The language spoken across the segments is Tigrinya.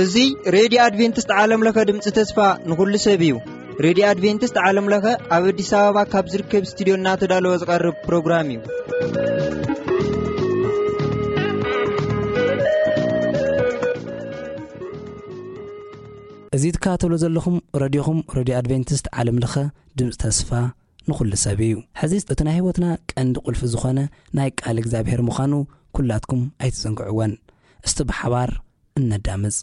እዚ ሬድዮ ኣድቬንቲስት ዓለም ለኸ ድምፂ ተስፋ ንኹሉ ሰብ እዩ። ሬድዮ ኣድቬንቲስት ዓለም ለኸ ኣብ ኣዲስ ኣበባ ካብ ዝርከብ ስቱዲዮ እናተዳለወ ዝቐርብ ፕሮግራም እዩ። እዚ ትከታተሉ ዘለኹም ረድዮኹም፣ ረድዮ ኣድቬንቲስት ዓለም ለኸ ድምፂ ተስፋ ንኹሉ ሰብ እዩ። ሕዚ እቲ ናይ ህይወትና ቀንዲ ቁልፊ ዝኾነ ናይ ቃል እግዚኣብሔር ምዃኑ ኩላትኩም ኣይትዘንግዕወን። እስቲ ብሓባር እነዳምፅ።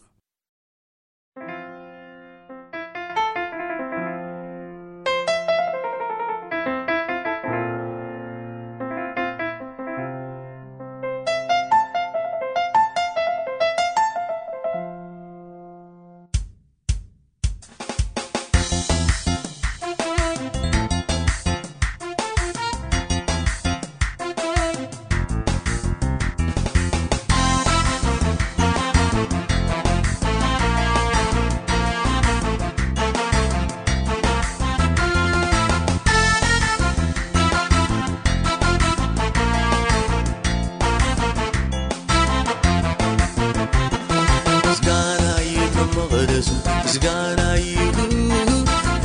ምስጋና ይቶም መቕደሱ፣ ምስጋና ይኹ፣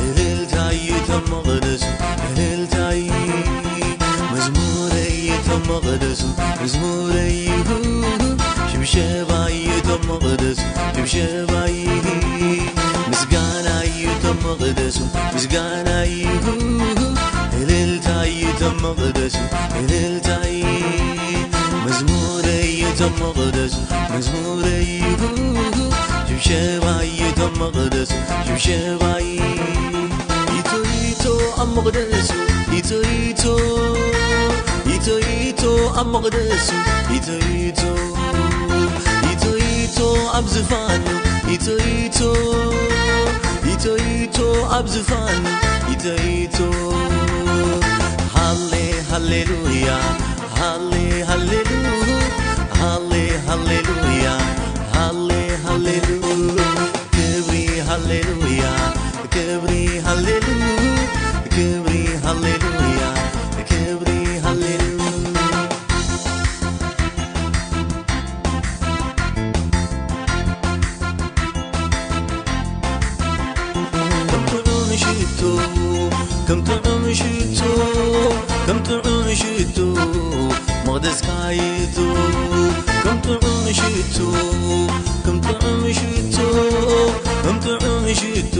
እልልታ ይቶም መቕደሱ፣ እልልታ ይ-፣ መዝሙረ ይቶም መቕደሱ፣ መዝሙረ ይኹ፣ ሽብሸባ ይቶም መቕደሱ፣ ሽብሸባ ይ-፣ ምስጋና ይቶም መቕደሱ፣ ምስጋና ይኹ፣ እልልታ ይቶም መቕደሱ፣ እልልታ ይ-፣ መዝሙረ ይቶም መቕደሱ፣ መዝሙረ ይኹ፣ ሽብሸባ ይቶም መቕደሱ፣ ሽብሸባ ይ-፣ ይቶ ይቶ ኣብ መቕደሱ፣ ይቶ ይቶ፣ ይቶ ይቶ ኣብ መቕደሱ፣ ይቶ ይቶ፣ ይቶ ይቶ ኣብ ዝፋኑ፣ ይቶ ይቶ፣ ይቶ ይቶ ኣብ ዝፋኑ፣ ይቶ ይቶ። ሃሌ ሃሌሉያ፣ ሃሌ ሃሌሉ፣ ሃሌ ሃሌሉያ፣ ሃሌ ሃሌሉ። ክብሪ ሃሌሉያ፣ ክብሪ ሃሌሉ፣ ክብሪ ሃሌሉያ፣ ክብሪ ሃሌሉ። ከም ጥዑም ሽቶ፣ ከም ጥዑም ሽቶ፣ ከም ጥዑም ሽቶ፣ መቕደስካ ይእቱ። ከም ጥዑም ሽቶ፣ ከም ጥዑም ሽቶ፣ ከም ጥዑም ሽቶ፣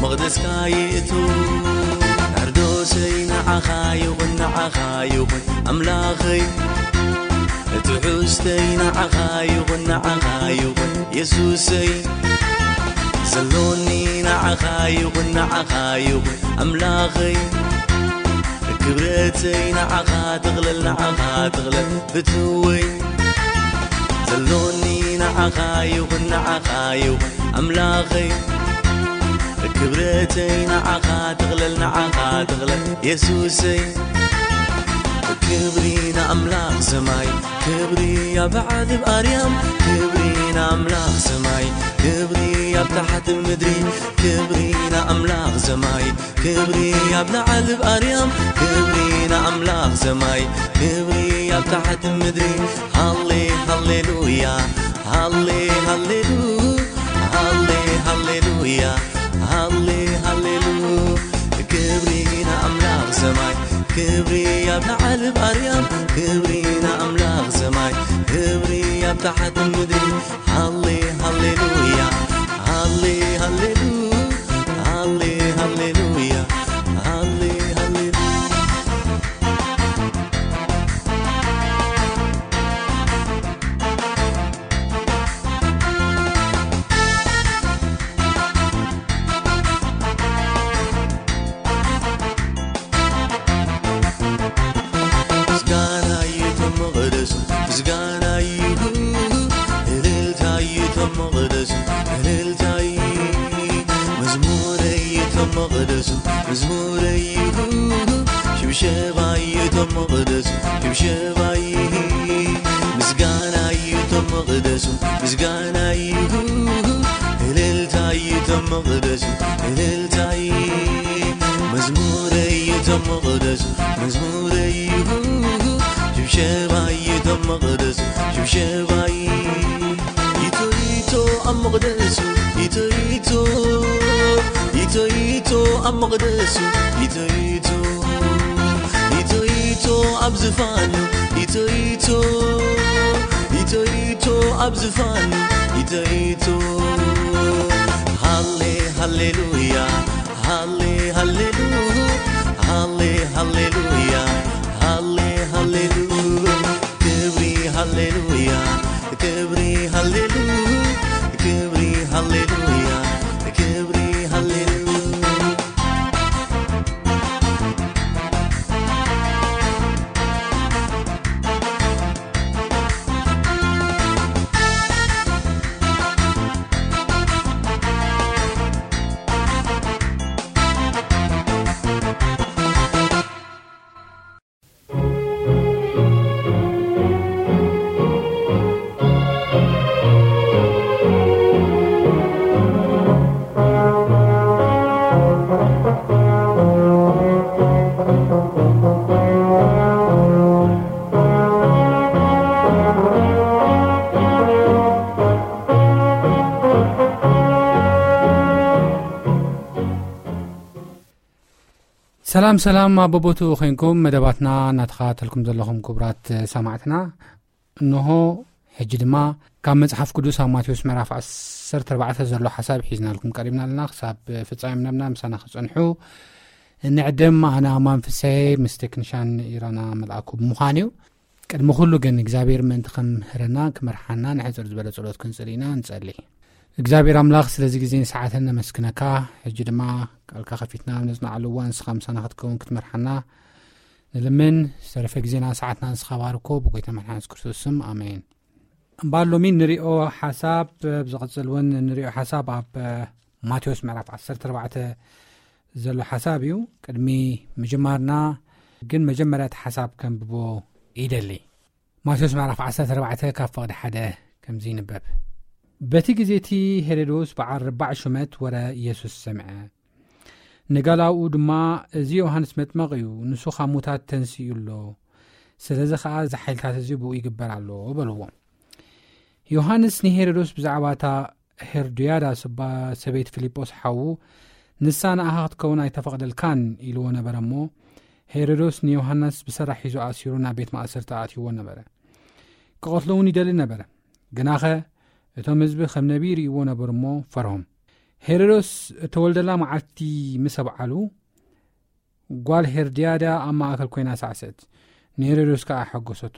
መቕደስካ ይእቱ። ናርዶሰይ ንዓኻ ይኹን፣ ንዓኻ ይኹን ኣምላኸይ። ትሑዝተይ ንዓኻ ይኹን፣ ንዓኻ ይኹን የሱሰይ። ዘሎኒ ንዓኻ ይኹን፣ ንዓኻ ይኹን ኣምላኸይ። ክብረተይ ንዓኻ ትቕለል፣ ንዓኻ ትቕለል ፍትወይ። ዘሎኒ ንዓኻ ይኹን፣ ንዓኻ ይኹን ኣምላኸይ። ክብረተይ ንዓኻ ትቕለል፣ ንዓኻ ትቕለል የሱሰይ። ክብሪ ንኣምላኽ ሰማይ፣ ክብሪ ኣብ ዓድብ ኣርያም። ክብሪ ንኣምላኽ ሰማይ፣ ክብሪ ኣብ ታሕቲ ምድሪ። ክብሪ ንኣምላኽ ሰማይ፣ ክብሪ ኣብ ላዕሊ ኣብ ኣርያም። ክብሪ ንኣምላኽ ሰማይ፣ ክብሪ ኣብ ታሕቲ ምድሪ። ሃሌ ሃሌሉያ፣ ሃሌ ሃሌሉ፣ ሃሌ ሃሌሉያ፣ ሃሌ ሃሌሉ። ክብሪ ንኣምላኽ ሰማይ፣ ክብሪ ኣብ ላዕሊ ኣብ ኣርያም። ክብሪ ንኣምላኽ ሰማይ፣ ክብሪ ኣብ ታሕቲ ምድሪ። ሃሌ ሃሌሉያ፣ ሃሌ ሃሌሉ፣ ሃሌ ሃሌሉያ፣ ሃሌ ሃሌሉ። ምስጋና ይቶም መቕደሱ፣ ምስጋና ይኹ፣ እልልታ ይቶም መቕደሱ፣ እልልታ ይ-፣ መዝሙረ ይቶም መቕደሱ፣ መዝሙረ ይኹ፣ ሽብሸባ ይቶም መቕደሱ፣ ሽብሸባ ይ-፣ ምስጋና ይቶም መቕደሱ፣ ምስጋና ይኹ፣ እልልታ ይቶም መቕደሱ፣ እልልታ ይ-፣ መዝሙረ ይቶም መቕደሱ መዝሙረይ እዩ፣ ሽብሸባይ እቶም መቕደሱ ሽብሸባይ። ኢቶ ኢቶ ኣብ መቕደሱ፣ ኢቶ ኢቶ፣ ኢቶ ኢቶ ኣብ መቕደሱ፣ ኢቶ ኢቶ፣ ኢቶ ኢቶ ኣብ ዝፋኑ፣ ኢቶ ኢቶ፣ ኢቶ ኢቶ ኣብ ዝፋኑ፣ ኢቶ ኢቶ። ሃሌ ሃሌሉያ፣ ሃሌ ሃሌሉ፣ ሃሌ ሃሌሉያ፣ ሃሌ ሃሌሉ። ክብሪ ሃሌሉያ፣ ክብሪ ሃሌሉ፣ ክብሪ ሃሌሉያ፣ ክብሪ ሃሌሉ። ሰላም ሰላም፣ ኣብ በቦትኡ ኮይንኩም መደባትና እናተኸታተልኩም ዘለኹም ክቡራት ሰማዕትና፣ እንሆ ሕጂ ድማ ካብ መጽሓፍ ቅዱስ ኣብ ማቴዎስ ምዕራፍ ዓሰርተ ኣርባዕተ ዘሎ ሓሳብ ሒዝናልኩም ቀሪብና ኣለና። ክሳብ ፍጻሜ መደብና ምሳና ክጸንሑ እንዕድም። ኣነ ኣማን ፍስሐ ምስ ቴክኒሻን ኢራና መልኣኩ ብምዃን እዩ። ቅድሚ ኩሉ ግን እግዚኣብሔር ምእንቲ ክምህረና ክመርሓና ንሕጽር ዝበለ ጸሎት ክንጽል ኢና። ንጸሊ። እግዚኣብሔር ኣምላኽ ስለዚ ግዜን ሰዓትን ነመስግነካ። ሕጂ ድማ ቃልካ ከፊትና ኣብ ነጽንዓሉ እዋን ንስኻ ምሳና ክትከውን ክትመርሓና ንልምን። ዝተረፈ ግዜና ሰዓትና ንስኻ ባርኮ፣ ብጎይታ መድሓን የሱስ ክርስቶስ ስም ኣሜን። እምበኣር ሎሚ ንሪኦ ሓሳብ፣ ብዝቕጽል እውን ንሪኦ ሓሳብ ኣብ ማቴዎስ ምዕራፍ ዓሰርተ ኣርባዕተ ዘሎ ሓሳብ እዩ። ቅድሚ ምጅማርና ግን መጀመርያ እቲ ሓሳብ ከንብቦ ይደሊ። ማቴዎስ ምዕራፍ ዓሰርተ ኣርባዕተ ካብ ፍቕዲ ሓደ ከምዚ ይንበብ። በቲ ግዜ እቲ ሄሮዶስ በዓል ርባዕ ሹመት ወረ ኢየሱስ ሰምዐ። ንጋላውኡ ድማ፣ "እዚ ዮሃንስ መጥመቕ እዩ፣ ንሱ ካብ ሙታት ተንሲኡ ኣሎ። ስለዚ ኸኣ እዚ ሓይልታት እዚ ብኡ ይግበር ኣሎ" በልዎ። ዮሃንስ ንሄሮዶስ ብዛዕባ እታ ሄርድያዳ ስባ ሰበይቲ ፊልጶስ ሓዉ፣ "ንሳ ንኣኻ ክትከውን ኣይተፈቕደልካን" ኢልዎ ነበረ እሞ፣ ሄሮዶስ ንዮሃንስ ብሰራሕ ሒዙ ኣሲሩ ናብ ቤት ማእሰርቲ ኣእትይዎ ነበረ። ክቐትሎ እውን ይደሊ ነበረ። ግናኸ እቶም ህዝቢ ከም ነቢይ ይርእይዎ ነበሩ እሞ ፈርሆም። ሄሮዶስ እተወልደላ መዓልቲ ምስ ኣብዓሉ፣ ጓል ሄርድያዳ ኣብ ማእከል ኮይና ሳዕሰት፣ ንሄሮዶስ ከኣ ሓጎሰቶ።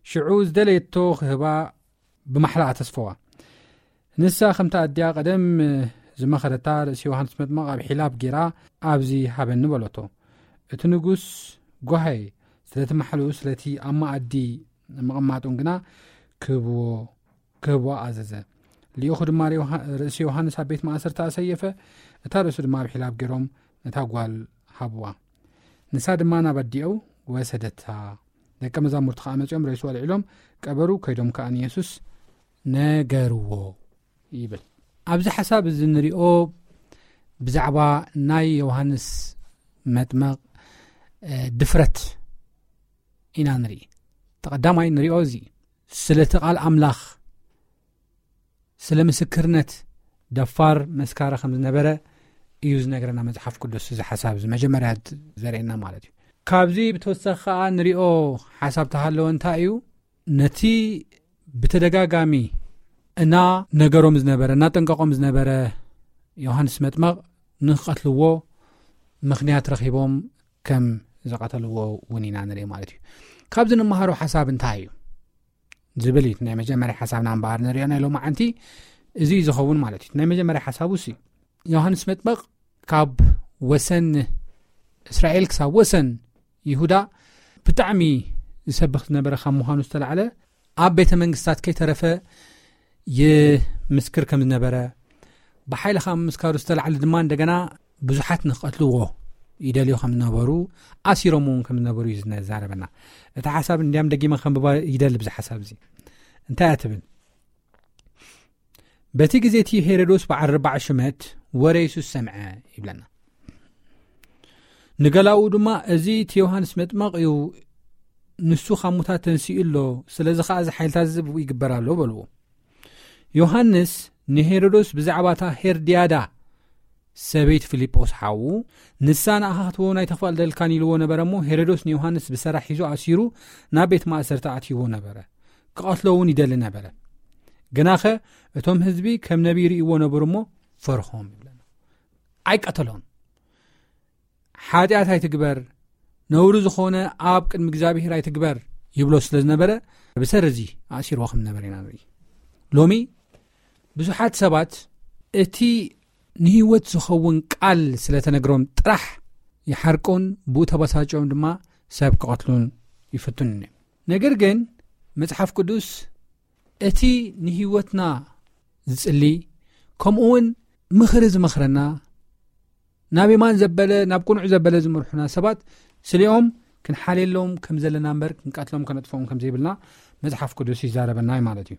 ሽዑ ዝደለየቶ ክህባ ብማሕላ ኣተስፈዋ። ንሳ ከምታ ኣዲኣ ቀደም ዝመኸረታ፣ ርእሲ ዮሃንስ መጥምቕ ኣብ ሒላብ ጌራ፣ "ኣብዚ ሃበኒ" በለቶ። እቲ ንጉስ፣ "ጓሃየ፣ ስለቲ ማሕልኡ፣ ስለቲ ኣብ መኣዲ ምቕማጡን ግና ክህብዎ፣ ክህብዋ ኣዘዘ። ልኢኹ ድማ ርእሲ ዮሃ-፣ ርእሲ ዮሃንስ ኣብ ቤት ማእሰርቲ ኣሰየፈ፣ እታ ርእሱ ድማ ኣብ ሒላብ ገይሮም ነታ ጓል ሃብዋ። ንሳ ድማ ናብ ኣዲኡ ወሰደታ። ደቀ መዛሙርቲ ከኣ መጺኦም ሬስኡ ኣልዒሎም ቀበሩ፣ ከይዶም ከኣ ንየሱስ ነገርዎ" ይብል። ኣብዚ ሓሳብ እዚ ንሪኦ ብዛዕባ ናይ ዮሃንስ መጥመቕ፣ እ፣ ድፍረት ኢና ንርኢ። ተቐዳማይ ንሪኦ እዚ ስለ እቲ ቃል ኣምላኽ፣ ስለ ምስክርነት ደፋር መስካሪ ከም ዝነበረ እዩ ዝነግረና መጽሓፍ ቅዱስ። እዚ ሓሳብ እዚ መጀመርያ ዘርእየና ማለት እዩ። ካብዚ ብተወሳኺ ከኣ ንሪኦ ሓሳብ ተሃለወ እንታይ እዩ? ነቲ ብተደጋጋሚ እና ነገሮም ዝነበረ፣ እና ጠንቀቆም ዝነበረ ዮሃንስ መጥመቕ ንክቐትልዎ ምኽንያት ረኺቦም ከም ዝቐተልዎ እውን ኢና ንርኢ ማለት እዩ። ካብዚ ንመሃሮ ሓሳብ እንታይ እዩ ዝብል እዩ። ናይ መጀመርያ ሓሳብና እምበኣር ንሪኦ ናይ ሎማዓንቲ እዚ እዩ ዝኸውን ማለት እዩ። ናይ መጀመርያ ሓሳቡ ሲ ዮሃንስ መጥመቕ ካብ ወሰን እስራኤል ክሳብ ወሰን ይሁዳ ብጣዕሚ ዝሰብኽ ዝነበረ ካብ ምዃኑ ዝተላዕለ ኣብ ቤተ መንግስታት ከይተረፈ ይምስክር ከም ዝነበረ፣ ብሓይሊ ካብ ምምስካሩ ዝተላዕለ ድማ እንደገና ብዙሓት ንክቐትልዎ ይደልዩ ከም ዝነበሩ፣ ኣሲሮም እውን ከም ዝነበሩ እዩ ዝዛረበና። እቲ ሓሳብ እንዲያም ደጊመ ከንብባ ይደሊ ብዚ ሓሳብ እዚ። እንታይ እያ ትብል? በቲ ግዜ እቲ ሄሮዶስ በዓል ኣርባዕ ሽመት ወረ የሱስ ሰምዐ ይብለና። ንገላኡ ድማ፣ "እዚ እቲ ዮሃንስ መጥመቕ እዩ፣ ንሱ ካብ ሙታት ተንሲኡ ኣሎ፣ ስለዚ ኸዓ እዚ ሓይልታት እዚ ብኡ ይግበር ኣሎ" በልዎ። ዮሃንስ ንሄሮዶስ ብዛዕባ እታ ሄርድያዳ ሰበይቲ ፊልጶስ ሓዉ፣ "ንሳ ንኣኻ ክትህቦ ኣይተፍቕደልካን" ኢልዎ ነበረ እሞ፣ ሄሮዶስ ንዮሃንስ ብሰራሕ ሒዙ ኣሲሩ ናብ ቤት ማእሰርቲ ኣእትይዎ ነበረ። ክቐትሎ እውን ይደሊ ነበረ። ግናኸ እቶም ህዝቢ ከም ነቢይ ርእይዎ ነበሩ እሞ ፈርሆም ይብለና። ኣይቀተሎን። "ሓጢኣት ኣይትግበር፣ ነውሪ ዝኾነ ኣብ ቅድሚ እግዚኣብሔር ኣይትግበር" ይብሎ ስለ ዝነበረ፣ ብሰሪ እዚ ኣእሲርዎ ከም ዝነበረ ኢና ንርኢ። ሎሚ ብዙሓት ሰባት እቲ ንህይወት ዝኸውን ቃል ስለ ተነግሮም ጥራሕ ይሓርቁን ብኡ ተበሳጭዮም ድማ ሰብ ክቐትሉን ይፍትኑን እዮም። ነገር ግን መጽሓፍ ቅዱስ እቲ ንህይወትና ዝጽሊ፣ ከምኡ እውን ምኽሪ ዝመኽረና፣ ናብ የማን ዘበለ፣ ናብ ቅኑዕ ዘበለ ዝመርሑና ሰባት ስሊኦም ክንሓልየሎም ከም ዘለና እምበር ክንቀትሎም ከነጥፍኦም ከም ዘይብልና መጽሓፍ ቅዱስ ይዛረበና እዩ ማለት እዩ።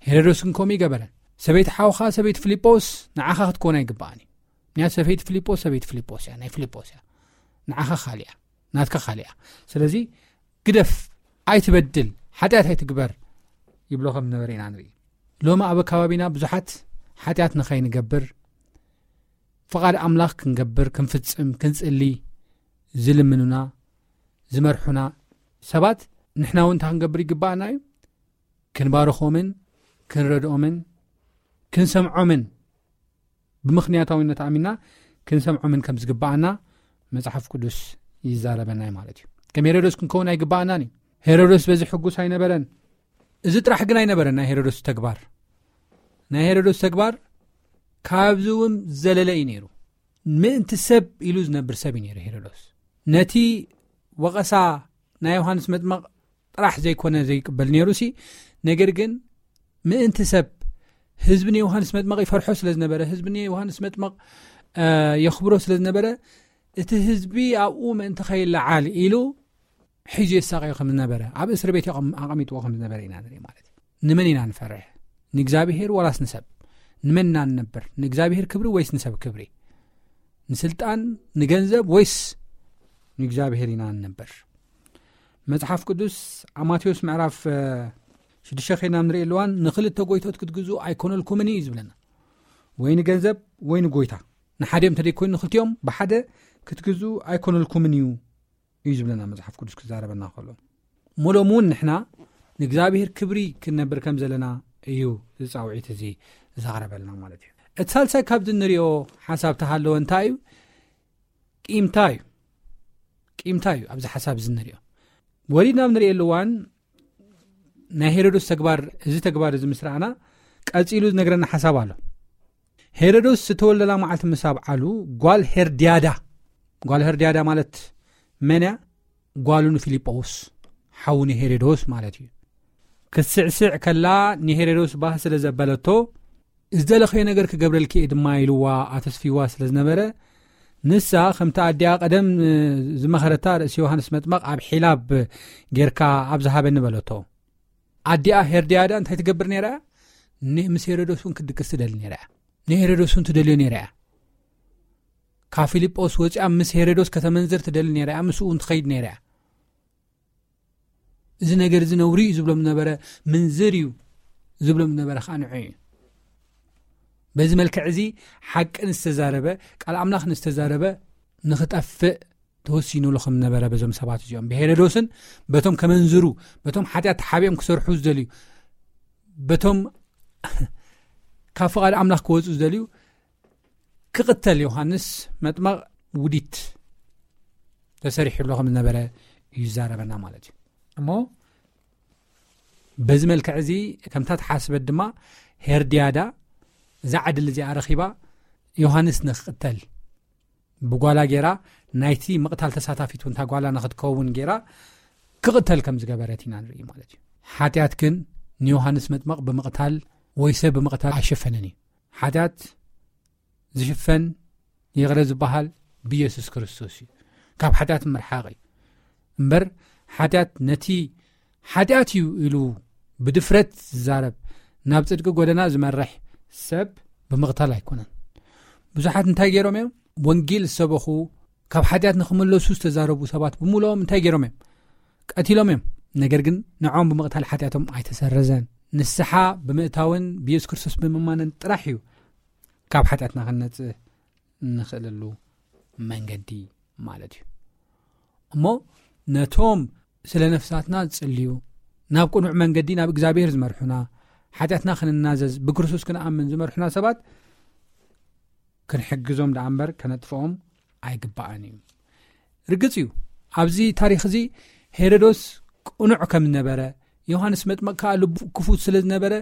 ሄሮዶስ ግን ከምኡ ይገበረ። "ሰበይቲ ሓውኻ ሰበይቲ ፊልጶስ ንዓኻ ክትኮን ኣይግባኣን እዩ። ምክንያቱ ሰበይቲ ፊልጶስ ሰበይቲ ፊልጶስ እያ፣ ናይ ፊልጶስ እያ። ንዓኻ ካልእ እያ፣ ናትካ ካልእ እያ። ስለዚ ግደፍ፣ ኣይትበድል፣ ሓጢኣት ኣይትግበር" ይብሎ ከም ዝነበረ ኢና ንርኢ። ሎሚ ኣብ ከባቢና ብዙሓት ሓጢኣት ንኸይንገብር፣ ፍቓድ ኣምላኽ ክንገብር፣ ክንፍጽም፣ ክንጽሊ ዝልምኑና፣ ዝመርሑና ሰባት፣ ንሕና እውን እንታይ ክንገብር ይግባኣና እዩ? ክንባርኾምን ክንረድኦምን ክንሰምዖምን፣ ብምኽንያታዊነት ኣሚና ክንሰምዖምን ከም ዝግባኣና መጽሓፍ ቅዱስ ይዛረበና እዩ ማለት እዩ። ከም ሄሮዶስ ክንከውን ኣይግባኣናን እዩ። ሄሮዶስ በዚ ሕጉስ ኣይነበረን። እዚ ጥራሕ ግን ኣይነበረን ናይ ሄሮዶስ ተግባር። ናይ ሄሮዶስ ተግባር ካብዚ እውን ዘለለ እዩ ነይሩ። ምእንቲ ሰብ ኢሉ ዝነብር ሰብ እዩ ነይሩ ሄሮዶስ። ነቲ ወቐሳ ናይ ዮሃንስ መጥመቕ ጥራሕ ዘይኮነ ዘይቅበል ነይሩ ሲ፣ ነገር ግን ምእንቲ ሰብ፣ ህዝቢ ንዮሃንስ መጥመቕ ይፈርሖ ስለ ዝነበረ፣ ህዝቢ ንዮሃንስ መጥመቕ፣ እ፣ የኽብሮ ስለ ዝነበረ፣ እቲ ህዝቢ ኣብኡ ምእንቲ ከይለዓል ኢሉ ሒዙ የሳቐዮ ከም ዝነበረ፣ ኣብ እስር ቤት የቐም-፣ ኣቐሚጥዎ ከም ዝነበረ ኢና ንርኢ ማለት እዩ። ንመን ኢና ንፈርሕ? ንእግዚኣብሔር ወላስ ንሰብ? ንመን ኢና ንነብር? ንእግዚኣብሔር ክብሪ ወይስ ንሰብ ክብሪ? ንስልጣን፣ ንገንዘብ ወይስ ንእግዚኣብሔር ኢና ንነብር? መጽሓፍ ቅዱስ ኣብ ማቴዎስ ምዕራፍ፣ እ፣ ሽዱሽተ ኸይድና ንርኢ ኣለዋን፣ "ንኽልተ ጎይቶት ክትግዝኡ ኣይኮነልኩምን እዩ" ዝብለና። ወይ ንገንዘብ ወይ ንጎይታ። ንሓዲኦም እንተደይኮይኑ ንኽልቲኦም ብሓደ ክትግዝኡ ኣይኮነልኩምን እዩ እዩ ዝብለና መጽሓፍ ቅዱስ ክዛረበና ከሎ። እሞ ሎሚ እውን ንሕና ንእግዚኣብሔር ክብሪ ክንነብር ከም ዘለና እዩ እዚ ጻውዒት እዚ ዘቕረበልና ማለት እዩ። እቲ ሳልሳይ ካብዚ እንሪኦ ሓሳብ ተሃለወ እንታይ እዩ? ቂምታ እዩ። ቂምታ እዩ ኣብዚ ሓሳብ እዚ እንሪኦ። ወሪድና ኣብ ንርእየሉ እዋን ናይ ሄሮዶስ ተግባር፣ እዚ ተግባር እዚ ምስ ረኣና ቀጺሉ ዝነግረና ሓሳብ ኣሎ። ሄሮዶስ ዝተወልደላ መዓልቲ ምስ ኣብዓሉ ጓል ሄርድያዳ፣ ጓል ሄርድያዳ ማለት መን እያ? ጓሉ ንፊልጶስ ሓው ንሄሮዶስ ማለት እዩ። ክትስዕስዕ ከላ ንሄሮዶስ ባህ ስለ ዘበለቶ፣ "ዝደለኸዮ ነገር ክገብረልኪ እየ ድማ" ኢልዋ ኣተስፊዋ ስለ ዝነበረ፣ ንሳ ከምቲ ኣዲኣ ቀደም ዝመኸረታ ርእሲ ዮሃንስ መጥመቕ ኣብ ሒላብ ጌርካ ኣብ ዝሃበኒ በለቶ። ኣዲኣ ሄርድያዳ እንታይ ትገብር ነይራ እያ? ን-፣ ምስ ሄሮዶስ እውን ክትድቅስ ትደሊ ነይራ እያ። ንሄሮዶስ እውን ትደልዮ ነይራ እያ። ካብ ፊልጶስ ወፂኣ ምስ ሄሮዶስ ከተመንዝር ትደሊ ነይራ እያ። ምስኡ እውን ትኸይድ ነይራ እያ። እዚ ነገር እዚ ነውሪ እዩ ዝብሎም ዝነበረ፣ ምንዝር እዩ ዝብሎም ዝነበረ ከዓ ንዑ እዩ። በዚ መልክዕ እዚ ሓቂ ንዝተዛረበ፣ ቃል ኣምላኽ ንዝተዛረበ ንኽጠፍእ ተወሲኑሉ ከም ዝነበረ በዞም ሰባት እዚኦም፣ ብሄሮዶስን በቶም ከመንዝሩ፣ በቶም ሓጢኣት ተሓቢኦም ክሰርሑ ዝደልዩ፣ በቶም ካብ ፍቓድ ኣምላኽ ክወፁ ዝደልዩ ክቕተል ዮሃንስ መጥመቕ ውዲት ተሰሪሑሉ ከም ዝነበረ እዩ ዝዛረበና ማለት እዩ። እሞ በዚ መልክዕ እዚ ከምታ ተሓስበት ድማ ሄርድያዳ እዛ ዕድል እዚኣ ረኺባ ዮሃንስ ንክቕተል ብጓላ ጌራ ናይቲ ምቕታል ተሳታፊት እውን እታ ጓላ ንክትከውን ጌራ ክቕተል ከም ዝገበረት ኢና ንርኢ ማለት እዩ። ሓጢኣት ግን ንዮሃንስ መጥመቕ ብምቕታል ወይ ሰብ ብምቕታል ኣይሸፈነን እዩ። ሓጢኣት ዝሽፈን ይቕረ ዝበሃል ብኢየሱስ ክርስቶስ እዩ። ካብ ሓጢኣት ምርሓቕ እዩ። እምበር ሓጢኣት ነቲ ሓጢኣት እዩ ኢሉ ብድፍረት ዝዛረብ፣ ናብ ጽድቂ ጎደና ዝመርሕ ሰብ ብምቕታል ኣይኮነን። ብዙሓት እንታይ ገይሮም እዮም? ወንጌል ዝሰበኹ፣ ካብ ሓጢኣት ንኽምለሱ ዝተዛረቡ ሰባት ብምሉኦም እንታይ ገይሮም እዮም? ቀቲሎም እዮም። ነገር ግን ንዖም ብምቕታል ሓጢኣቶም ኣይተሰረዘን። ንስሓ ብምእታውን ብየሱስ ክርስቶስ ብምእማንን ጥራሕ እዩ ካብ ሓጢኣትና ክንነጽእ እንኽእለሉ መንገዲ ማለት እዩ። እሞ ነቶም ስለ ነፍሳትና ዝጽልዩ፣ ናብ ቅኑዕ መንገዲ ናብ እግዚኣብሔር ዝመርሑና፣ ሓጢኣትና ክንናዘዝ ብክርስቶስ ክንኣምን ዝመርሑና ሰባት ክንሕግዞም ደኣ እምበር ከነጥፍኦም ኣይግባእን እዩ። ርግጽ እዩ፣ ኣብዚ ታሪኽ እዚ ሄሮዶስ ቅኑዕ ከም ዝነበረ፣ ዮሃንስ መጥመቕ ከኣ ልቡ ክፉት ስለ ዝነበረ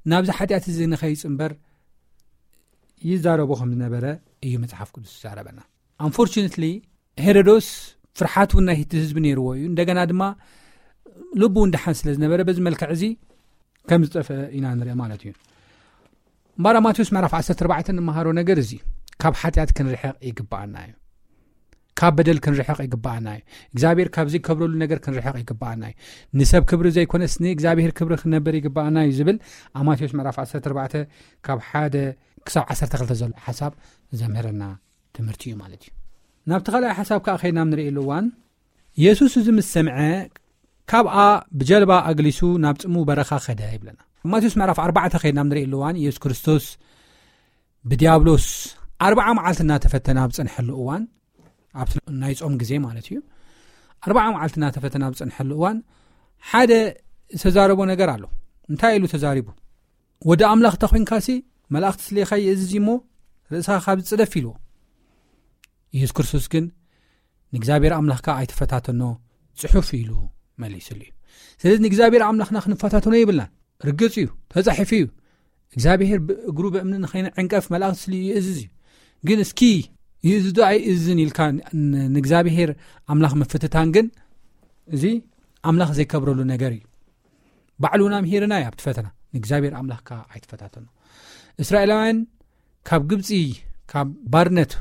ናብዚ ሓጢኣት እዚ ንኸይጽንበር ይዛረቦ ከም ዝነበረ እዩ መጽሓፍ ቅዱስ ዝዛረበና። ኣንፎርቹነትሊ ሄሮዶስ ፍርሓት እውን ናይ እቲ ህዝቢ ነይርዎ እዩ። እንደገና ድማ ልቡ እውን ደሓን ስለ ዝነበረ በዚ መልክዕ እዚ ከም ዝጠፍአ ኢና ንርኢ ማለት እዩ። እምበኣር ማቴዎስ ምዕራፍ ዓሰርተ ኣርባዕተ እንመሃሮ ነገር እዚ ካብ ሓጢኣት ክንርሕቕ ይግባኣና እዩ። ካብ በደል ክንርሕቕ ይግባኣና እዩ። እግዚኣብሔር ካብ ዘይከብረሉ ነገር ክንርሕቕ ይግባኣና እዩ። ንሰብ ክብሪ ዘይኮነስ ንእግዚኣብሔር ክብሪ ክነበር ይግባኣና እዩ ዝብል ኣብ ማቴዎስ ምዕራፍ ዓሰርተ ኣርባዕተ ካብ ሓደ ክሳብ ዓሰርተ ክልተ ዘሎ ሓሳብ ዘምህረና ትምህርቲ እዩ ማለት እዩ። ናብቲ ካልኣይ ሓሳብ ከኣ ከይድና ንርእየሉ እዋን፣ የሱስ እዚ ምስ ሰምዐ ካብኣ ብጀልባ ኣግሊሱ ናብ ጽምው በረኻ ኸደ ይብለና። ኣብ ማቴዎስ ምዕራፍ ኣርባዕተ ከይድና ንርእየሉ እዋን፣ የሱስ ክርስቶስ ብዲያብሎስ ኣርብዓ መዓልቲ እናተፈተነ ኣብ ጸንሐሉ እዋን፣ ኣብቲ ናይ ጾም ግዜ ማለት እዩ፣ ኣርብዓ መዓልቲ እናተፈተነ ኣብ ጸንሐሉ እዋን ሓደ ዝተዛረቦ ነገር ኣሎ። እንታይ ኢሉ ተዛሪቡ? "ወዲ ኣምላኽ ተኾይንካሲ መላእኽቲ ስሌኻ ይእዝዝ እሞ ርእስኻ ካብ ዝጽደፍ" ኢልዎ። የሱስ ክርስቶስ ግን "ንእግዚኣብሔር ኣምላኽካ ኣይትፈታተኖ፣ ጽሑፍ" ኢሉ መሊስሉ እዩ። ስለዚ ንእግዚኣብሔር ኣምላኽና ክንፈታተኖ የብልናን። ርግጽ እዩ፣ ተጻሒፉ እዩ። እግዚኣብሔር ብእግሩ ብእምኒ ንኸይንዕንቀፍ መላእኽቲ ስልዩ ይእዝዝ እዩ። ግን እስኪ ይእዝዝ ዶ ኣይእዝዝን ኢልካ ን-፣ ንእግዚኣብሔር ኣምላኽ ምፍትታን ግን እዚ ኣምላኽ ዘይከብረሉ ነገር እዩ። ባዕሉ ምሂርና እዩ ኣብቲ ፈተና። ንእግዚኣብሔር ኣምላኽካ ኣይትፈታተኖ። እስራኤላውያን ካብ ግብጺ፣ ካብ ባርነት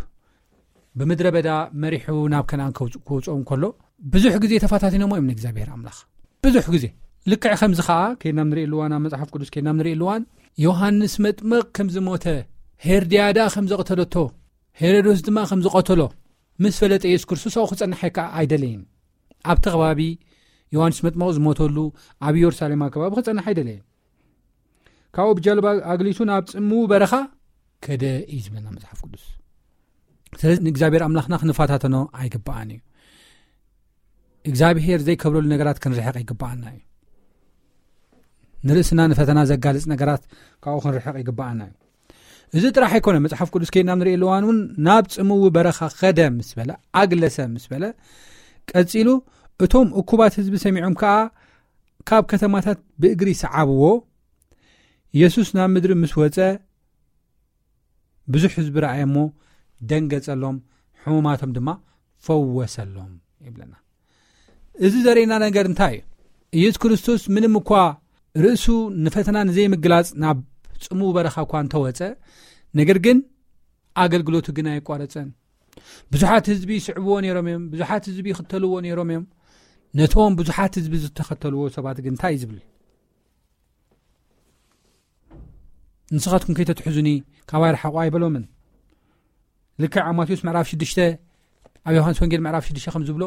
ብምድረ በዳ መሪሑ ናብ ከነኣን ከውጽ-፣ ክውጽኦም ከሎ ብዙሕ ግዜ ተፈታቲኖሞ እዮም ንእግዚኣብሔር ኣምላኽ። ብዙሕ ግዜ። ልክዕ ከምዚ ኸኣ ከይድና ንርኢ ኣለዋን፣ ኣብ መጽሓፍ ቅዱስ ከይድና ንርኢ ኣለዋን፣ ዮሃንስ መጥምቕ ከም ዝሞተ፣ ሄርድያዳ ከም ዘቕተለቶ፣ ሄሮዶስ ድማ ከም ዝቐተሎ ምስ ፈለጠ የሱስ ክርስቶስ ኣብኡ ክጸንሕ ኣይከ-፣ ኣይደለየን። ኣብቲ ከባቢ ዮሃንስ መጥምቕ ዝሞተሉ ኣብ ኢየሩሳሌም ከባቢ ክጸንሕ ኣይደለየን። ካብኡ ብጀልባ ኣግሊሱ ናብ ጽምው በረኻ ከደ እዩ ዝብለና መጽሓፍ ቅዱስ። ስለዚ ንእግዚኣብሔር ኣምላኽና ክንፈታተኖ ኣይግባኣን እዩ። እግዚኣብሔር ዘይከብረሉ ነገራት ክንርሕቕ ይግባኣና እዩ። ንርእስና ንፈተና ዘጋልጽ ነገራት ካብኡ ክንርሕቕ ይግባኣና እዩ። እዚ ጥራሕ ኣይኮነ፣ መጽሓፍ ቅዱስ ከይድና ንርኢ ኣለዋን እውን ናብ ጽምው በረኻ ከደ ምስ በለ፣ ኣግለሰ ምስ በለ፣ ቀጺሉ እቶም እኩባት ህዝቢ ሰሚዖም ከኣ ካብ ከተማታት ብእግሪ ሰዓብዎ። የሱስ ናብ ምድሪ ምስ ወጸ ብዙሕ ህዝቢ ረኣየ እሞ ደንገጸሎም፣ ሕሙማቶም ድማ ፈወሰሎም ይብለና። እዚ ዘርእየና ነገር እንታይ እዩ? ኢየሱስ ክርስቶስ ምንም እኳ ርእሱ ንፈተና ንዘይምግላጽ ናብ ጽምው በረኻ እኳ እንተወጸ፣ ነገር ግን ኣገልግሎቱ ግን ኣየቋረጸን። ብዙሓት ህዝቢ ይስዕብዎ ነይሮም እዮም፣ ብዙሓት ህዝቢ ይኽተልዎ ነይሮም እዮም። ነቶም ብዙሓት ህዝቢ ዝተኸተልዎ ሰባት ግን እንታይ እዩ ዝብል? "ንስኻትኩም ከይተትሕዙኒ ካባይ ርሓቑ" ኣይበሎምን። ልክዕ ኣብ ማቴዎስ ምዕራፍ ሽዱሽተ፣ ኣብ ዮሃንስ ወንጌል ምዕራፍ ሽዱሽተ ከም ዝብሎ፣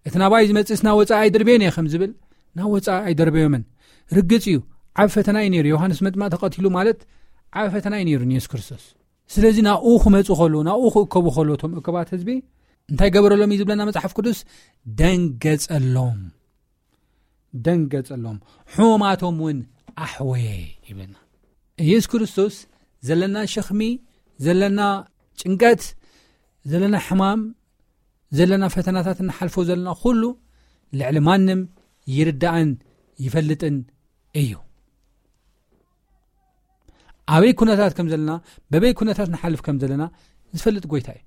"እቲ ናባይ ዝመጽእስ ናብ ወጻኢ ኣይድርበዮን እየ" ከም ዝብል፣ ናብ ወጻኢ ኣይደርበዮምን። ርግጽ እዩ፣ ዓብ ፈተና እዩ ነይሩ። ዮሃንስ መጥምቕ ተቐቲሉ ማለት ዓብ ፈተና እዩ ነይሩ ንየሱስ ክርስቶስ። ስለዚ ናብኡ ክመጹ ከለዉ፣ ናብኡ ክእከቡ ከለዉ፣ እቶም እከባት ህዝቢ እንታይ ገበረሎም እዩ ዝብለና መጽሓፍ ቅዱስ? ደንገጸሎም። ደንገጸሎም፣ ሕሙማቶም እውን ኣሕወየ ይብለና። ኢየሱስ ክርስቶስ ዘለና ሸኽሚ፣ ዘለና ጭንቀት፣ ዘለና ሕማም፣ ዘለና ፈተናታት እንሓልፎ ዘለና ኩሉ ልዕሊ ማንም ይርዳእን ይፈልጥን እዩ። ኣበይ ኩነታት ከም ዘለና፣ በበይ ኩነታት ንሓልፍ ከም ዘለና ዝፈልጥ ጎይታ እዩ።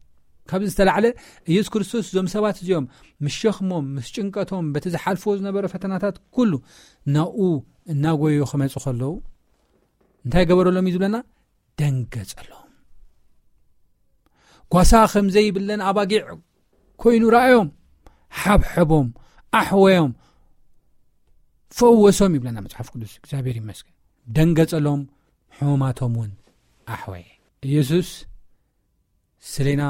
ካብዚ ዝተላዕለ ኢየሱስ ክርስቶስ እዞም ሰባት እዚኦም ምስ ሸኽሞም፣ ምስ ጭንቀቶም፣ በቲ ዝሓልፍዎ ዝነበረ ፈተናታት ኩሉ ናብኡ እናጎየዩ ክመጹ ከለዉ እንታይ ገበረሎም እዩ ዝብለና? ደንገጸሎም። ጓሳ ከም ዘይብለን ኣባጊዕ ኮይኑ ረኣዮም፣ ሓብሐቦም፣ ኣሕወዮም፣ ፈወሶም ይብለና መጽሓፍ ቅዱስ። እግዚኣብሔር ይመስገን። ደንገጸሎም፣ ሕሙማቶም እውን ኣሕወየ። ኢየሱስ ስሌና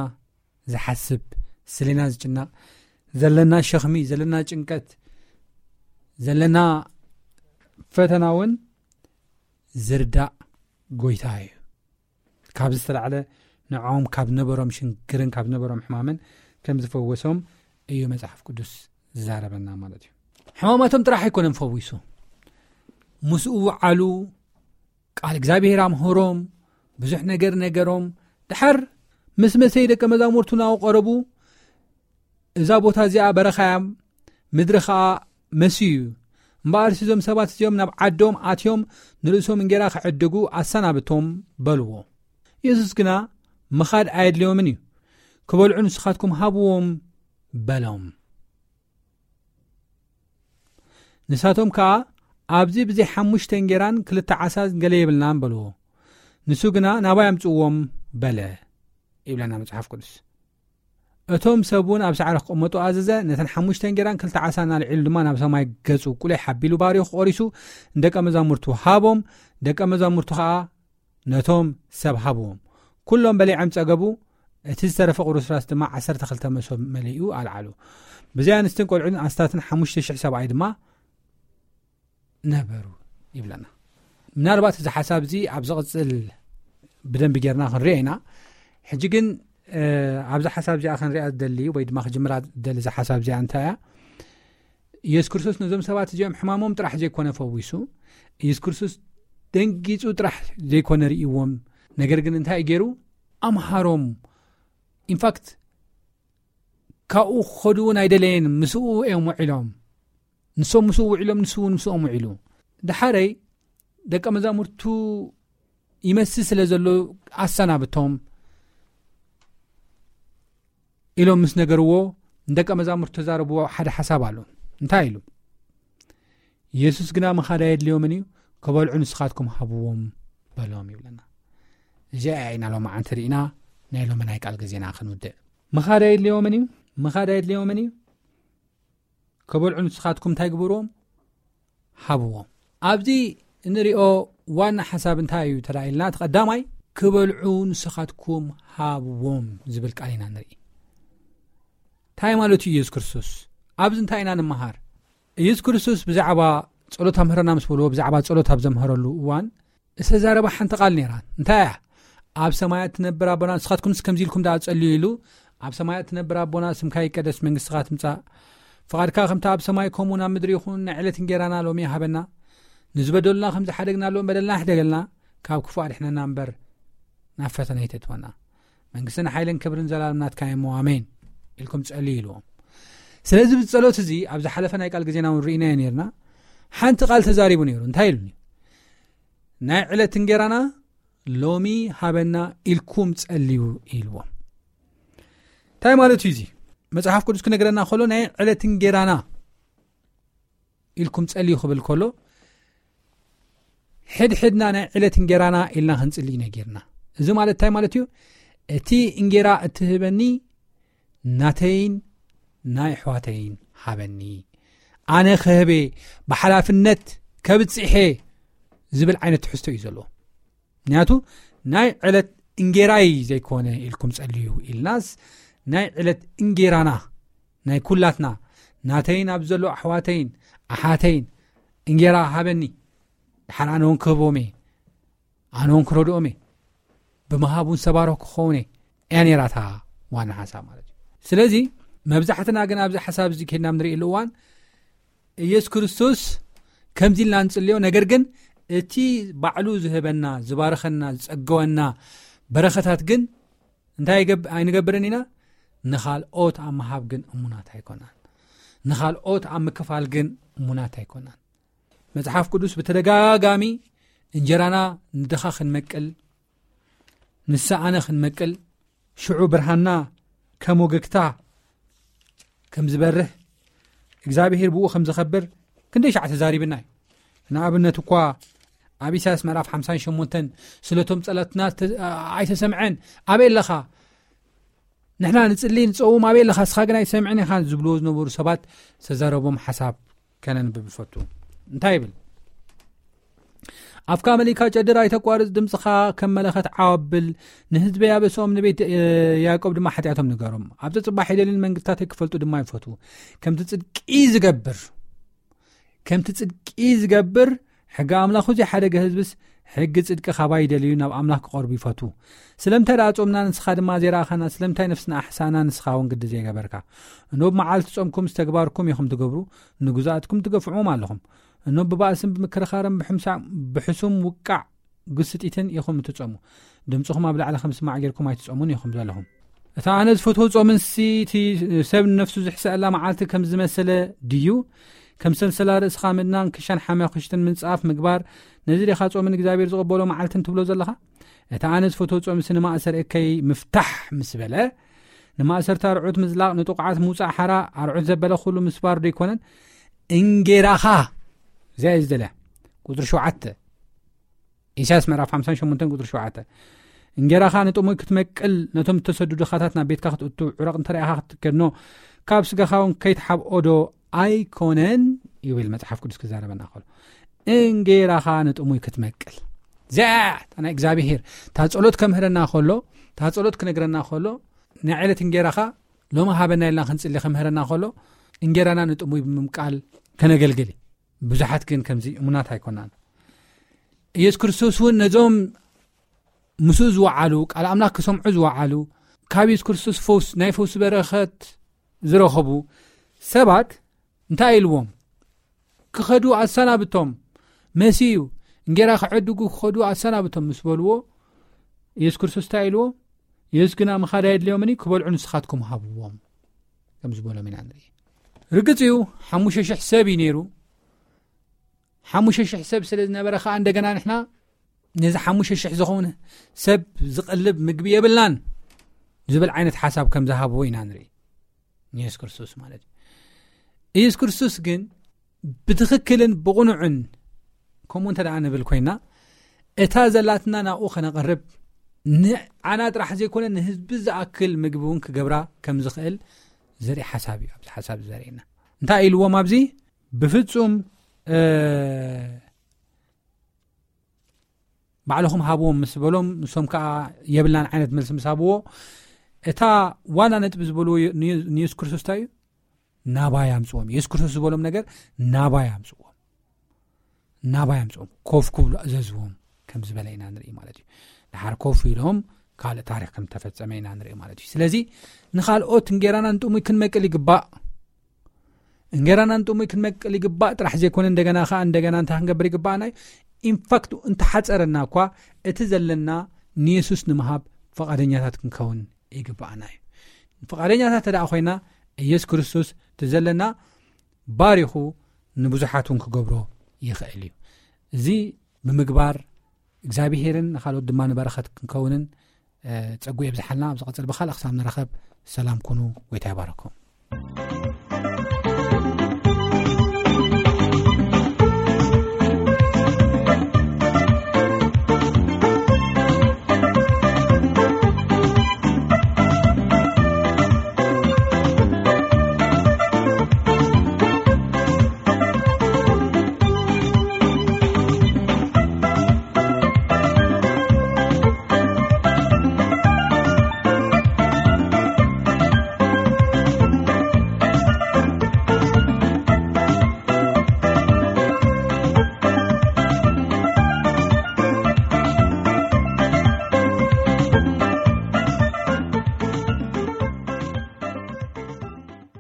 ዝሓስብ፣ ስሌና ዝጭነቕ፣ ዘለና ሸኽሚ፣ ዘለና ጭንቀት፣ ዘለና ፈተና እውን ዝርዳእ ጎይታ እዩ። ካብ ዝተላዕለ ንዕኦም ካብ ነበሮም ሽንክርን ካብ ነበሮም ሕማምን ከም ዝፈወሶም እዩ መጽሓፍ ቅዱስ ዝዛረበና ማለት እዩ። ሕማማቶም ጥራሕ ኣይኮነን ፈዊሱ፣ ምስኡ ውዓሉ፣ ቃል እግዚኣብሔር ኣምሃሮም፣ ብዙሕ ነገር ነገሮም። ድሓር ምስ መሰይ ደቀ መዛሙርቱ ናብኡ ቀረቡ፣ እዛ ቦታ እዚኣ በረኻ እያ፣ ምድሪ ኸኣ መሲ እዩ። እምበኣርሲ እዞም ሰባት እዚኦም ናብ ዓዶም ኣትዮም ንርእሶም እንጌራ ክዕድጉ ኣሰናብቶም በልዎ። የሱስ ግና ምኻድ ኣየድልዮምን እዩ። ክበልዑ ንስኻትኩም ሃብዎም በሎም። ንሳቶም ከኣ ኣብዚ ብዘይ ሓሙሽተ እንጌራን ክልተ ዓሳን ገለ የብልናን በልዎ። ንሱ ግና ናባይ ኣምጽእዎም በለ ይብለና መጽሓፍ ቅዱስ። እቶም ሰብ እውን ኣብ ሳዕሪ ክቕመጡ ኣዘዘ። ነተን ሓሙሽተ እንጌራን ክልተ ዓሳን ኣልዒሉ ድማ ናብ ሰማይ ገጹ ቁሊሕ ኣቢሉ ባሪኹ ቆሪሱ ንደቀ መዛሙርቱ ሃቦም። ደቀ መዛሙርቱ ከኣ ነቶም ሰብ ሃብዎም። ኩሎም በሊዖም ጸገቡ። እቲ ዝተረፈ ቁርስራስ ድማ ዓሰርተ ክልተ መሶብ መሊኡ ኣልዓሉ። ብዘይ ኣንስትን ቆልዑን ኣስታትን ሓሙሽተ ሽሕ ሰብኣይ ድማ ነበሩ ይብለና። ምናልባት እዚ ሓሳብ እዚ ኣብ ዝቕጽል ብደንቢ ጌርና ክንሪኦ ኢና። ሕጂ ግን ኣብዚ ሓሳብ እዚኣ ክንሪኣ ዝደሊ ወይ ድማ ክጅምራ ዝደሊ እዚ ሓሳብ እዚኣ እንታይ እያ? ኢየሱስ ክርስቶስ ነዞም ሰባት እዚኦም ሕማሞም ጥራሕ ዘይኮነ ፈዊሱ፣ ኢየሱስ ክርስቶስ ደንጊጹ ጥራሕ ዘይኮነ ርእይዎም፣ ነገር ግን እንታይ ገይሩ? ኣምሃሮም። ኢንፋክት ካብኡ ክኸዱ እውን ኣይደለየን። ምስኡ እዮም ውዒሎም። ንሶም ምስኡ ውዒሎም፣ ንሱ እውን ምስኦም ውዒሉ። ድሓረይ ደቀ መዛሙርቱ ይመስል ስለ ዘሎ ኣሰናብቶም ኢሎም ምስ ነገርዎ፣ ንደቀ መዛሙርቱ ተዛረብዎ ሓደ ሓሳብ ኣሎ። እንታይ ኢሉ? ኢየሱስ ግና ምኻድ ኣየድልዮምን እዩ፣ ክበልዑ ንስኻትኩም ሃብዎም በሎም ይብለና። እዚኣ ኢና ሎማዓንቲ ርኢና ናይ ሎሚ ናይ ቃል ግዜና ክንውድእ። ምኻድ ኣየድልዮምን እዩ፣ ምኻድ ኣየድልዮምን እዩ፣ ክበልዑ ንስኻትኩም እንታይ ግበርዎም? ሃብዎም። ኣብዚ እንሪኦ ዋና ሓሳብ እንታይ እዩ ተላኢልና? እቲ ቀዳማይ ክበልዑ ንስኻትኩም ሃብዎም ዝብል ቃል ኢና ንርኢ። እንታይ ማለት እዩ ኢየሱስ ክርስቶስ? ኣብዚ እንታይ ኢና ንምሃር? ኢየሱስ ክርስቶስ ብዛዕባ ጸሎት ኣምህረና ምስ በልዎ፣ ብዛዕባ ጸሎት ኣብ ዘምሃረሉ እዋን ዝተዛረባ ሓንቲ ቃል ነይራ። እንታይ እያ? ኣብ ሰማያት ትነብር ኣቦና፣ ንስኻትኩምስ ከምዚ ኢልኩም ደኣ ጸልዩ ኢሉ፣ ኣብ ሰማያት ትነብር ኣቦና፣ ስምካ ይቀደስ፣ መንግስትኻ ትምጻእ፣ ፍቓድካ ከምቲ ኣብ ሰማይ ከምኡ ናብ ምድሪ ይኹን፣ ናይ ዕለት እንጌራና ሎሚ ሃበና፣ ንዝበደሉና ከም ዝሓደግናሎም በደልና ሕደገልና፣ ካብ ክፉእ ኣድሕነና እምበር ናብ ፈተነ ኣይተእትወና፣ መንግስትን ሓይልን ክብርን ዘላለም ናትካ እሞ ኣሜን ኢልኩም ጸልዩ ኢልዎም። ስለዚ ብጸሎት እዚ ኣብ ዝሓለፈ ናይ ቃል ግዜና እውን ርኢናዮ ነርና። ሓንቲ ቃል ተዛሪቡ ነይሩ። እንታይ ኢሉኒ? ናይ ዕለት እንጌራና ሎሚ ሃበና ኢልኩም ጸልዩ ኢልዎም። እንታይ ማለት እዩ እዚ? መጽሓፍ ቅዱስ ክነግረና ከሎ ናይ ዕለት እንጌራና ኢልኩም ጸልዩ ክብል ከሎ፣ ሕድሕድና ናይ ዕለት እንጌራና ኢልና ክንጽሊ ነጊርና። እዚ ማለት እንታይ ማለት እዩ? እቲ እንጌራ እትህበኒ ናተይን ናይ ኣሕዋተይን ሃበኒ። ኣነ ክህቤ ብሓላፍነት ከብጽሔ ዝብል ዓይነት ትሕዝቶ እዩ ዘለዎ። ምክንያቱ ናይ ዕለት እንጌራይ ዘይኮነ ኢልኩም ጸልዩ ኢልናስ፣ ናይ ዕለት እንጌራና ናይ ኩላትና፣ ናተይን ኣብ ዘሎ ኣሕዋተይን ኣሓተይን እንጌራ ሃበኒ። ድሓር ኣነ እውን ክህቦም እየ፣ ኣነ እውን ክረድኦም እየ፣ ብምሃብ እውን ሰባሮ ክኸውን እየ፣ እያ ነይራ እታ ዋና ሓሳብ ማለት እዩ። ስለዚ መብዛሕትና ግን ኣብዚ ሓሳብ እዚ ከይድና ንርእየሉ እዋን ኢየሱስ ክርስቶስ ከምዚ ኢልና ንጽልዮ፣ ነገር ግን እቲ ባዕሉ ዝህበና፣ ዝባርኸና፣ ዝጸገወና በረኸታት ግን እንታይ ይገብ-፣ ኣይንገብርን ኢና? ንኻልኦት ኣብ ምሃብ ግን እሙናት ኣይኮናን። ንኻልኦት ኣብ ምክፋል ግን እሙናት ኣይኮናን። መጽሓፍ ቅዱስ ብተደጋጋሚ እንጀራና ንድኻ ክንመቅል፣ ንስኣነ ክንመቅል፣ ሽዑ ብርሃንና ከም ወገግታ ከም ዝበርህ፣ እግዚኣብሔር ብኡ ከም ዝኸብር ክንደይ ሻዕ ተዛሪብና እዩ። ንኣብነት እኳ ኣብ ኢሳያስ ምዕራፍ ሓምሳን ሸሞንተን፣ ስለቶም ጸሎትና ተ-፣ ኣይተሰምዐን፣ ኣበይ ኣለኻ? ንሕና ንጽሊ ንጸውም፣ ኣበይ ኣለኻ? እስኻ ግን ኣይትሰምዕን ኢኻ ዝብልዎ ዝነበሩ ሰባት ዝተዛረቦም ሓሳብ ከነንብብ ይፈቱ። እንታይ ይብል? ኣፍካ መሊካ ጨድር ኣይተቋርጽ፣ ድምጽኻ ከም መለኸት ዓው ኣብል። ንህዝበይ ኣበስኦም፣ ንቤት፣ እ፣ ያዕቆብ ድማ ሓጢኣቶም ንገሮም። ኣብ ጽባሕ ይደልዩን መንግስታተይ ክፈልጡ ድማ ይፈትዉ። ከምቲ ጽድቂ ዝገብር፣ ከምቲ ጽድቂ ዝገብር፣ ሕጊ ኣምላኹ ዘይሓደገ ህዝብስ ሕጊ ጽድቂ ካባይ ይደልዩ፣ ናብ ኣምላኽ ክቐርቡ ይፈትዉ። ስለምንታይ ደኣ ጾምና፣ ንስኻ ድማ ዘይረኣኻና? ስለምንታይ ነፍስና ኣሕሳና፣ ንስኻ እውን ግዲ ዘይገበርካ? እኖ ብመዓልቲ ጾምኩም ዝተግባርኩም ኢኹም ትገብሩ፣ ንግዙኣትኩም ትገፍዕዎም ኣለኹም። እኖ ብባእስን ብምክርኻርን ብሕምሳ-፣ ብሕሱም ውቃዕ ግስጢትን ኢኹም እትጾሙ። ድምጽኹም ኣብ ላዕሊ ከም ዝስማዕ ጌርኩም ኣይትጾሙን ኢኹም ዘለኹም። እታ ኣነ ዝፈትዎ ጾምንሲ፣ እቲ ሰብ ንነፍሱ ዝሕሰኣላ መዓልቲ ከም ዝመሰለ ድዩ? ከም ሰንሰላ ርእስኻ ምድናን ክሻን ሓማኹሽትን ምንጻፍ ምግባር፣ ነዚ ዲኻ ጾምን እግዚኣብሔር ዝቕበሎ መዓልትን ትብሎ ዘለኻ? እታ ኣነ ዝፈትዎ ጾምሲ ንማእሰር እከይ ምፍታሕ ምስ በለ፣ ንማእሰርቲ ኣርዑት ምዝላቕ፣ ንጥቑዓት ምውጻእ ሓራ፣ ኣርዑት ዘበለ ኩሉ ምስባር ዶ ኣይኮነን? እንጌራኻ፣ እዚኣ እዩ ዝደልያ። ቁጽሪ ሸውዓተ፣ ኢሳያስ ምዕራፍ ሓምሳን ሸሞንተን ቁጽሪ ሸውዓተ። እንጌራኻ ንጥሙይ ክትመቅል፣ ነቶም እተሰዱ ድኻታት ናብ ቤትካ ክትእቱ፣ ዕረቕ እንተ ረኣኻ ክትከድኖ፣ ካብ ስጋኻ እውን ከይትሓብኦ ዶ ኣይኮነን? ይብል መጽሓፍ ቅዱስ ክዛረበና ከሎ። እንጌራኻ ንጥሙይ ክትመቅል። እዚኣ እታ ናይ እግዚኣብሄር፣ እታ ጸሎት ከምህረና ከሎ፣ እታ ጸሎት ክነግረና ከሎ፣ ናይ ዕለት እንጌራኻ ሎሚ ሃበና ኢልና ክንጽሊ ከምህረና ከሎ፣ እንጌራና ንጥሙይ ብምምቃል ከነገልግል እዩ። ብዙሓት ግን ከምዚ እሙናት ኣይኮናን። ኢየሱስ ክርስቶስ እውን ነዞም ምስኡ ዝወዓሉ፣ ቃል ኣምላኽ ክሰምዑ ዝወዓሉ፣ ካብ ኢየሱስ ክርስቶስ ፈውስ፣ ናይ ፈውሲ በረኸት ዝረኸቡ ሰባት እንታይ ኢልዎም? ክኸዱ ኣሰናብቶም፣ መሲኡ፣ እንጌራ ክዕድጉ ክኸዱ ኣሰናብቶም ምስ በልዎ፣ ኢየሱስ ክርስቶስ እንታይ ኢልዎ? ኢየሱስ ግና ምኻድ ኣየድልዮምን እዩ፣ ክበልዑ ንስኻትኩም ሃብዎም፣ ከም ዝበሎም ኢና ንርኢ። ርግጽ እዩ፣ ሓሙሽተ ሽሕ ሰብ እዩ ነይሩ። ሓሙሽተ ሽሕ ሰብ ስለ ዝነበረ ከኣ እንደገና ንሕና ነዚ ሓሙሽተ ሽሕ ዝኸውን ሰብ ዝቐልብ ምግቢ የብልናን ዝብል ዓይነት ሓሳብ ከም ዝሃብዎ ኢና ንርኢ። ንየሱስ ክርስቶስ ማለት እዩ። ኢየሱስ ክርስቶስ ግን ብትኽክልን ብቕኑዕን ከምኡ እንተ ደኣ ንብል ኮይና፣ እታ ዘላትና ናብኡ ከነቐርብ፣ ንዓና ጥራሕ ዘይኮነ ንህዝቢ ዝኣክል ምግቢ እውን ክገብራ ከም ዝኽእል ዘርኢ ሓሳብ እዩ። ኣብዚ ሓሳብ ዘርእየና እንታይ ኢልዎም ኣብዚ? ብፍጹም፣ እ፣ ባዕልኹም ሃብዎም ምስ በሎም፣ ንሶም ከኣ የብልናን ዓይነት መልሲ ምስ ሃብዎ፣ እታ ዋና ነጥቢ ዝበልዎ ን-፣ ንየሱስ ክርስቶስ እንታይ እዩ? ናባይ ኣምጽዎም። የሱስ ክርስቶስ ዝበሎም ነገር ናባይ ኣምጽዎም። ናባይ ኣምጽዎም። ኮፍ ክብሉ ኣዘዝዎም ከም ዝበለ ኢና ንርኢ ማለት እዩ። ድሓር ኮፍ ኢሎም ካልእ ታሪኽ ከም ተፈጸመ ኢና ንርኢ ማለት እዩ። ስለዚ ንኻልኦት እንጌራና ንጥሙይ ክንመቅል ይግባእ። እንጌራና ንጥሙይ ክንመቅል ይግባእ ጥራሕ ዘይኮነ፣ እንደገና ከኣ እንደገና እንታይ ክንገብር ይግባእና እዩ? ኢንፋክት እንተሓጸረና እኳ እቲ ዘለና ንየሱስ ንምሃብ ፍቓደኛታት ክንከውን ይግባኣና እዩ። ፍቓደኛታት እንተ ደኣ ኮይና፣ ኢየሱስ ክርስቶስ እቲ ዘለና ባሪኹ ንብዙሓት እውን ክገብሮ ይኽእል እዩ። እዚ ብምግባር እግዚኣብሄርን ንኻልኦት ድማ ንበረኸት ክንከውንን፣ እ፣ ጸጉ የብዝሓልና። ኣብ ዝቐጽል ብኻልእ ክሳብ ንራኸብ ሰላም ኩኑ፣ ጎይታ ይባረኩም።